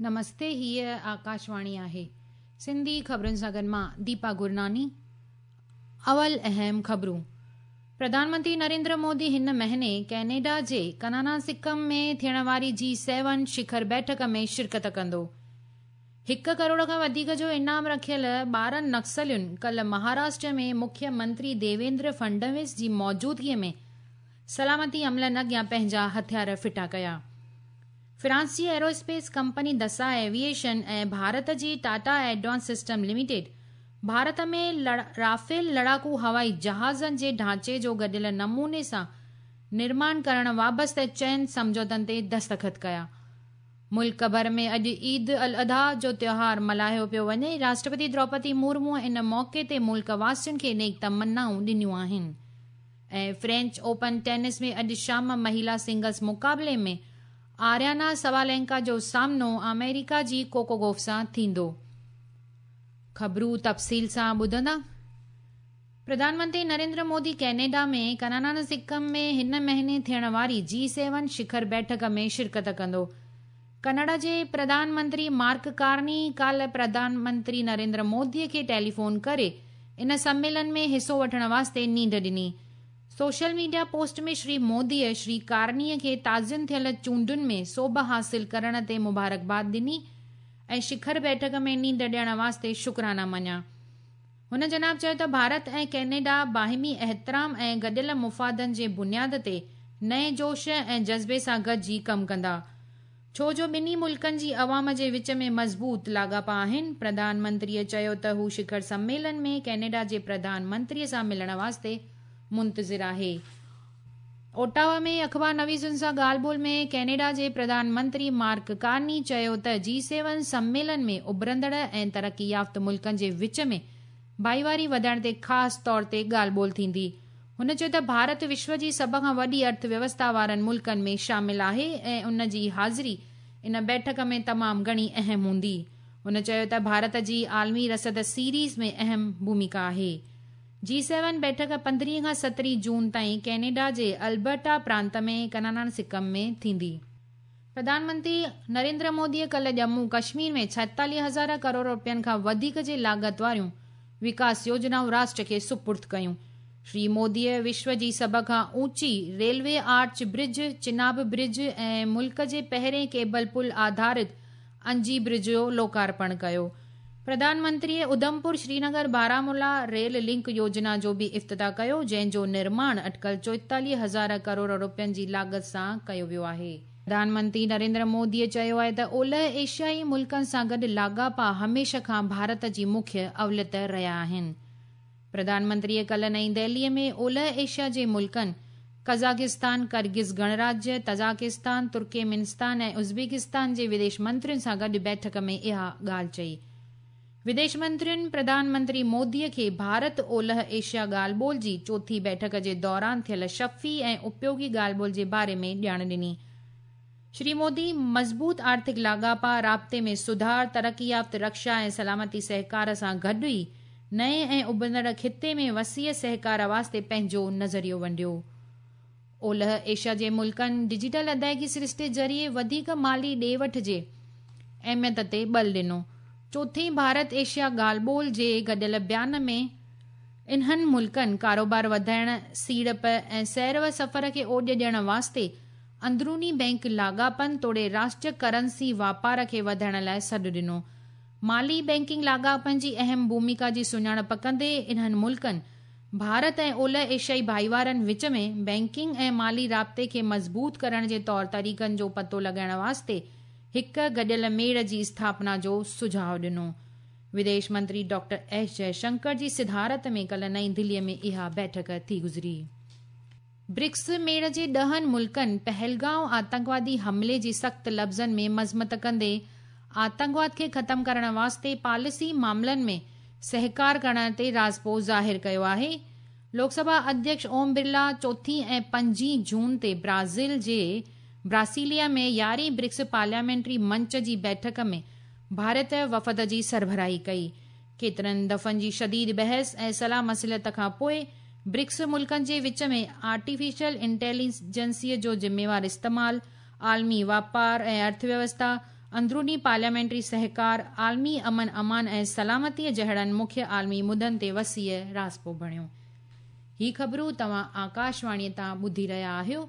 نمستي هيء آڪاشواڻي آهي سنڌي خبرن سان گڏ مان ديپا گرناني اول اهم خبرون پرڌان منتري نريندر مودي هن مهيني ڪينيڊا جي ڪنانا سڪم ۾ ٿيڻ واري جي سيون شکر بيٺڪ ۾ شرڪت ڪندو. هڪ ڪروڙ کان وڌيڪ جو انعام رکيل 12 نڪسلين ڪلهه مهاراشٽر ۾ مکيه منتري ديويندر فڊنويس جي موجودگي ۾ سلامتي عملن اڳيان پنهنجا هٿيار ڦٽا ڪيا. فرانس جي ايرو اسپيس ڪمپني دسا ايوي ايشن ۽ ڀارت جي Tata advance system limited Bharat ۾ Rafale لڙاڪو هوائي جهازن جي ڍانچي جو گڏيل نموني سان نرماڻ ڪرڻ وابسته چئن سمجهوتن تي دستخط ڪيا. ملڪ ڀر ۾ اڄ عيد الاضحيٰ جو تيوهار ملهايو پيو وڃي. راشٽرپتي دروپدي مرمو ان موقعي تي ملڪ واسين کي نيڪ تمنائون ڏنيون آهن. ۽ فرينچ اوپن ٽينس ۾ اڄ شام مهيلا سنگلز مقابلي ۾ آريانا سوالينڪا جو سامنو آمريڪا جي ڪوڪو گوف سان ٿيندو. خبرون تفصيل سان ٻڌندا. پرڌان منتري نريندر مودي ڪينيڊا ۾ ڪنانا سڪم ۾ هن مهيني ٿيڻ واري جي سيون شکر بيٺڪ ۾ شرڪت ڪندو. ڪئناڊا جي پرڌان منتري مارڪ ڪارني ڪالهه پرڌان منتري نريندر مودي کي ٽيليفون ڪري ان سميلن ۾ حصو وٺڻ واسطي نينڍ ڏني. سوشل ميڊيا پوسٽ ۾ شري موديء شري ڪارني کي تازين ٿيل چونڊن ۾ سوڀ حاصل ڪرڻ تي مبارڪباد ڏني ۽ شکر بيٺڪ ۾ نينڍ ڏيڻ واسطي شڪرانا مڃيا. هن جناب چيو ته ڀارت ۽ ڪينيڊا باهمي احترام ۽ گڏيل مفادن جي بنياد تي نئين جوش ۽ جذبي سان گڏجي ڪم ڪندا. ڇو جو ٻنهي ملڪن جي عوام جي وچ ۾ مضبوط لاڳاپا آهن. پرڌان منتريء چيو ته هو شکر سميلن ۾ ڪينيڊا جي پرڌان منتريء سان ملڻ واسطي منتظر آهي. اوٽاوا ۾ اخبار نويسن سان ڳالهه ٻولهه ۾ ڪينيڊا جي پرڌان منتري مارڪ ڪارني چيو ته جي سيون سميلن ۾ اڀرندڙ ۽ ترقي يافته ملڪن جي وچ ۾ ڀائيواري وڌائڻ تي خاص طور تي ڳالهه ٻولهه ٿيندي. هن چيو ته ڀارت وشو جي سڀ کان وڏي ارٿ ويوسٿا وارن ملڪن ۾ شامل آهي ۽ ان جي حاضري ان بيٺڪ ۾ تمام گهڻي اهم هوندي. هن چيو ته ڀارت جي عالمي رسد سيريز ۾ اهم ڀوميڪا آهي. جي سيون بيٺڪ 15 کان 17 جون تائين ڪينيڊا جي البرٽا پرانت ۾ ڪنانان سڪم ۾ ٿيندي. پرڌان منتري نريندر موديء ڪلهه ڄمون ڪشمير ۾ 46 هزار ڪروڙ رپين کان وڌيڪ جي لاڳت واريون وڪاس يوجنائون راشٽر کي سپرد ڪيون. شري موديء وشو جي سڀ کان اوچي railway arch bridge, Chenab bridge ۽ ملڪ جي پهرين ڪيبل پل آڌارت انجي برج جو لوڪارپڻ ڪيو. پرڌان منتريء اڌمپور شرينگر بارامولا ريل لنڪ يوجنا جو به افتتاح ڪيو، جنهن جو نرماڻ اٽڪل 44 هزار ڪروڙ رپين جي لاڳت سان ڪيو ويو آهي. پرڌان منتري نريندر موديء چيو آهي ته اولهه ايشيائي ملڪن سان گڏ لاڳاپا هميشه کان ڀارت جي مکيه اوليت رهيا آهن. پرڌان منتريء ڪلهه نئين دهليء ۾ اولهه ايشيا جي ملڪن قزاقستان، ڪرغز گڻراجيه، تزاڪستان، ترڪمينستان ۽ ازبڪستان جي وديش منترين سان گڏ بيٺڪ ۾ اها ڳالهه چئي. وديش منترين پرڌان منتري موديء کي ڀارت اولهه ايشيا ڳالهه ٻولهه جي چوٿين بيٺڪ جي دوران ٿيل شفي ۽ اپيوگي ڳالهه ٻولهه جي باري ۾ ڄاڻ ڏني. شري مودي مضبوط آرٿڪ لاڳاپا، رابطي ۾ سڌار، ترقي يافته رڪشا ۽ سلامتي سهڪار سان گڏ ئي نئين ۽ اڀرندڙ خطي ۾ وسيع سهڪار واسطي پنهنجو نظريو ونڊيو. اولهه ايشيا جي ملڪن ڊجيٽل ادائيگي سرشتي ذريعي وڌيڪ مالي ڏي وٺ جي اهميت تي ٻل ڏنو. چوٿين ڀارت ايشيا ڳالهه ٻولهه جي گڏيل بيان ۾ انهن ملڪن ڪاروبار وڌائڻ، سيڙپ ۽ سير و سفر کي اوڄ ڏيڻ واسطي اندروني بئنڪ لاڳاپن توڙي راشٽر ڪرنسي واپار کي وڌائڻ لاء سڏ ڏنو. مالي بئنڪنگ لاڳاپن جي اهم ڀوميڪا جي سڃاڻپ ڪندي انهن ملڪن ڀارت ۽ اولهه ايشيائي ڀائيوارن وچ ۾ بئنڪنگ ۽ مالي رابطي کي مضبوط ڪرڻ جي طور طريقن جو پتو لڳائڻ واسطي هڪ گڏيل ميڙ جي اسٿاپنا جو سجهاء ڏنو. وديش منتري ڊاڪٽر ايس جئشنڪر جي صدارت ۾ ڪلهه نئين دهلي ۾ اها بيٺڪ ٿي گذري. برڪس ميڙ جي ڏهن ملڪن پهلگائون آتنڪوادي حملي جي سخت لفظن ۾ مذمت ڪندي آتنڪواد کي ختم ڪرڻ واسطي پاليسي معاملن ۾ سهڪار ڪرڻ تي راضپو ظاهر ڪيو آهي. لوڪ سڀا اڌيڪش اوم برلا چوٿين ۽ پنجين جون تي برازيل جي براسيليا ۾ يارهين برڪس پارليامينٽري منچ جي بيٺڪ ۾ ڀارت وفد جي سربراهي ڪئي. ڪيترن دفعن جي شديد بحث ۽ صلاح مصلحت کان پوء برڪس ملڪن جي وچ ۾ آرٽيفيشل انٽيليجنسيء جو ذميوار استعمال، عالمي واپار ۽ ارٿ ويوسٿا، اندروني پارليامينٽري سهڪار، عالمي امن امان ۽ سلامتيء جهڙن مکيه عالمي مدن تي وسيع راضپو بڻيو. هي خبرون توهان آڪاشواڻيء تان ٻڌي رهيا آهيو.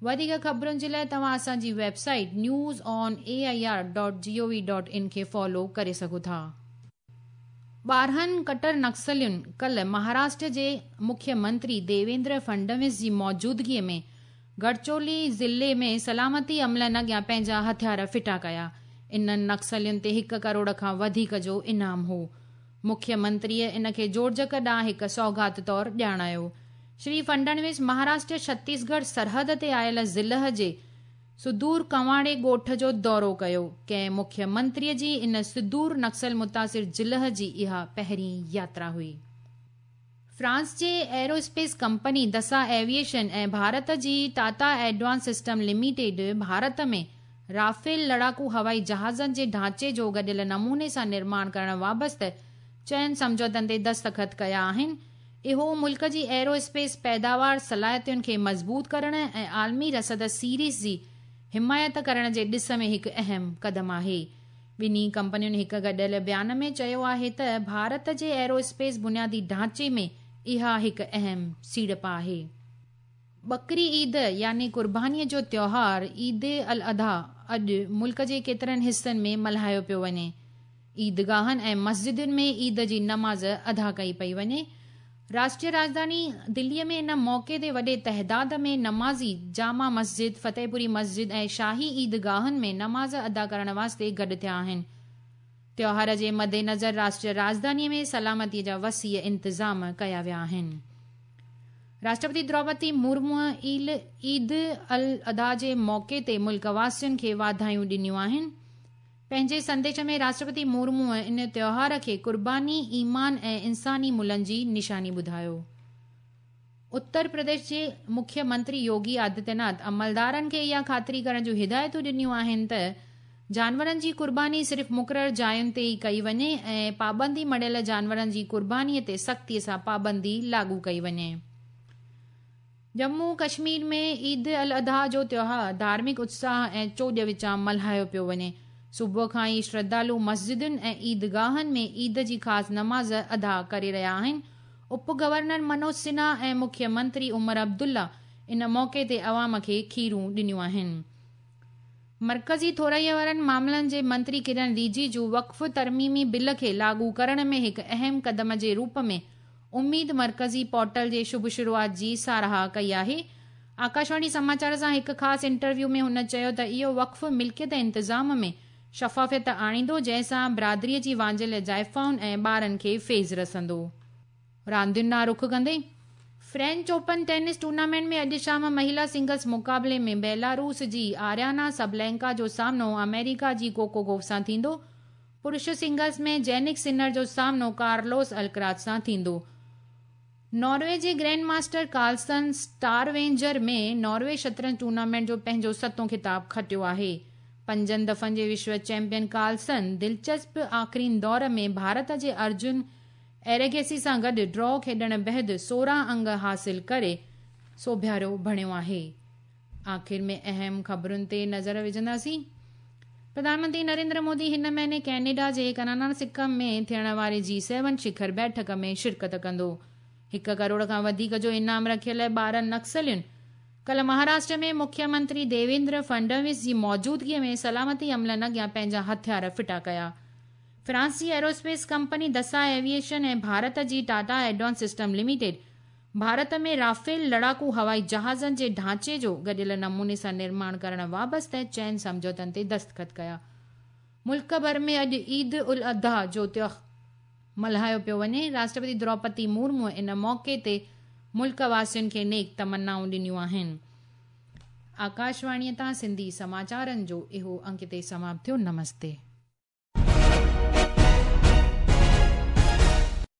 وڌيڪ خبرن جي لاء توهان اسان جي website news on A I R dot G O V dot in کي فالو ڪري سگهو ٿا. 12 ڪٽر نڪسلين ڪلهه مهاراشٽر جي مکيه منتري ديويندر فڊنويس جي موجودگيء ۾ گڙچولي ضلعي ۾ سلامتي عملن اڳيان پنهنجا هٿيار ڦٽا ڪيا. انهن نڪسلين تي هڪ ڪروڙ کان وڌيڪ جو انعام هو. مکيه منتريء ان کي جوڙجڪ ڏانهن هڪ سوغات طور ڄاڻايو. شري فڊنويس مهاراشٽر ڇتيسڳڙهه سرحد تي آيل ضلع جي سدور ڪنواڙي ڳوٺ جو دورو ڪيو. ڪنهن مکيه منتريء جي ان سدور نڪسل متاثر ضلع جي اها پهرين ياترا هئي. فرانس جي aerospace company Dassault aviation ۽ Bharat جي Tata advance system limited Bharat ۾ Rafale لڙاڪو هوائي جهازن جي ڍانچي جو گڏيل نموني سان نرماڻ ڪرڻ وابسته چئن سمجهوتن تي دستخط ڪيا آهن. اهو ملڪ جي ايرو اسپيس پيداوار صلاحيتن کي مضبوط ڪرڻ ۽ عالمي رسد سيريز جي حمايت ڪرڻ جي ڏس ۾ هڪ اهم قدم آهي. ٻنهي ڪمپنين هڪ گڏيل بيان ۾ چيو آهي ته ڀارت جي ايرو اسپيس بنيادي ڍانچي ۾ اها هڪ اهم سيڙپ آهي. ٻڪري عيد يعني قربانيء جو تيوهار عيد الاضحيٰ اڄ ملڪ جي ڪيترن حصن ۾ ملهايو پيو وڃي. عيدگاهن ۽ مسجدن ۾ عيد جي نماز ادا ڪئي پئي وڃي. راشٽريه راڄڌاني دليء ۾ ان موقعي تي وڏي تعداد ۾ نمازي جامع مسجد، فتح پوري مسجد ۽ شاهي عيدگاهن ۾ نماز ادا ڪرڻ واسطي گڏ ٿيا آهن. تيوهار جي مدنظر راشٽريه راڄڌانيء ۾ سلامتيء جا وسيع انتظام ڪيا ويا آهن. راشٽرپتي دروپدي مرموء عيد الاضحيٰ جي موقعي تي ملڪ واسين کي واڌايون ڏنيون آهن. پنهنجي سنديش ۾ راشٽرپتي مرموء ان تيوهار کي قرباني، ايمان ۽ انساني ملهن جي نشاني ٻڌايو. اتر پرديش جي مکيه منتري يوگي آدتيه ناٿ عملدارن کي اها خاطري ڪرڻ جون هدايتون ڏنيون آهن ته جانورن جي قرباني صرف مقرر جاين تي ئي ڪئي وڃي ۽ پابندي مڙهيل جانورن جي قرباني تي سختي سان پابندي لاڳو ڪئي وڃي. ڄمون ڪشمير ۾ عيد الاضحيٰ جو تيوهار ڌارمڪ اتساهه ۽ چوڄ وچان ملهايو پيو وڃي. صبح کان ئي شرڌالو مسجدن ۽ عيدگاهن ۾ عيد جي خاص نماز ادا ڪري رهيا آهن. اپ گورنر منوج سنها ۽ مکيه منتري عمر عبدالله ان موقعي تي عوام کي کيرون ڏنيون آهن. مرڪزي ٿورائيء وارن معاملن جي منتري ڪرن ريجيجو وقف ترميمي بل کي لاڳو ڪرڻ ۾ هڪ اهم قدم جي روپ ۾ اميد مرڪزي پورٽل جي شڀ شروعات جي ساراهه ڪئي آهي. آڪاشواڻي سماچار سان هڪ خاص انٽرويو ۾ هن چيو ته اهو وقف ملڪيت انتظام ۾ شفافيت آڻيندو جنهن سان برادري جي وانجهيل زائفائن ۽ ٻارن کي فيض رسندو. راندين ڏانهن رخ ڪندي، فرينچ اوپن ٽينس ٽورنامينٽ ۾ اڄ شام مهيلا سنگلز مقابلي ۾ بيلاروس جي آريانا سبلينڪا جو سامنو آمريڪا جي ڪوڪو گوف سان ٿيندو. پرش سنگلز ۾ جينڪ سنر جو سامنو ڪارلوس الڪراز سان ٿيندو. ناروي جي گرينڊ ماسٽر ڪارلسن اسٽاروينجر ۾ ناروي شطرنج ٽورنامينٽ جو پنهنجو ستون خطاب کٽيو آهي. پنجن دفعن جي وشو چيمپيئن ڪارلسن دلچسپ آخرين دور ۾ ڀارت جي ارجن ايريگيسي سان گڏ ڊرا کيڏڻ بعد 16 انگ حاصل ڪري سوڀيارو بڻيو آهي. آخر ۾ اهم خبرن تي نظر وجهنداسين. پرڌان منتري نريندر مودي هن مهيني ڪينيڊا جي ڪناناسڪم ۾ ٿيڻ واري جي سيون شکر بيٺڪ ۾ شرڪت ڪندو. هڪ ڪروڙ کان وڌيڪ جو انعام رکيل 12 نڪسلين ڪلهه مهاراشٽر ۾ مکيه منتري ديويندر فڊنويس جي موجودگي ۾ سلامتي عملن اڳيان پنهنجا هٿيار ڦٽا ڪيا. فرانس جي aerospace company Dassault aviation ۽ Bharat جي Tata advance system limited Bharat ۾ Rafale لڙاڪو هوائي جهازن جي ڍانچي جو گڏيل نموني سان نرماڻ ڪرڻ وابسته چئن سمجهوتن تي دستخط ڪيا. ملڪ ڀر ۾ اڄ عيد الاضحيٰ جو تيوهار ملهايو پيو وڃي. راشٽرپتي دروپدي مرمو ان موقعي تي ملڪ واسين کي نيڪ تمنائون ڏنيون آهن. آڪاشواڻيء تان سنڌي سماچارن جو اهو انڪ هتي سماپت ٿيو. نمستي.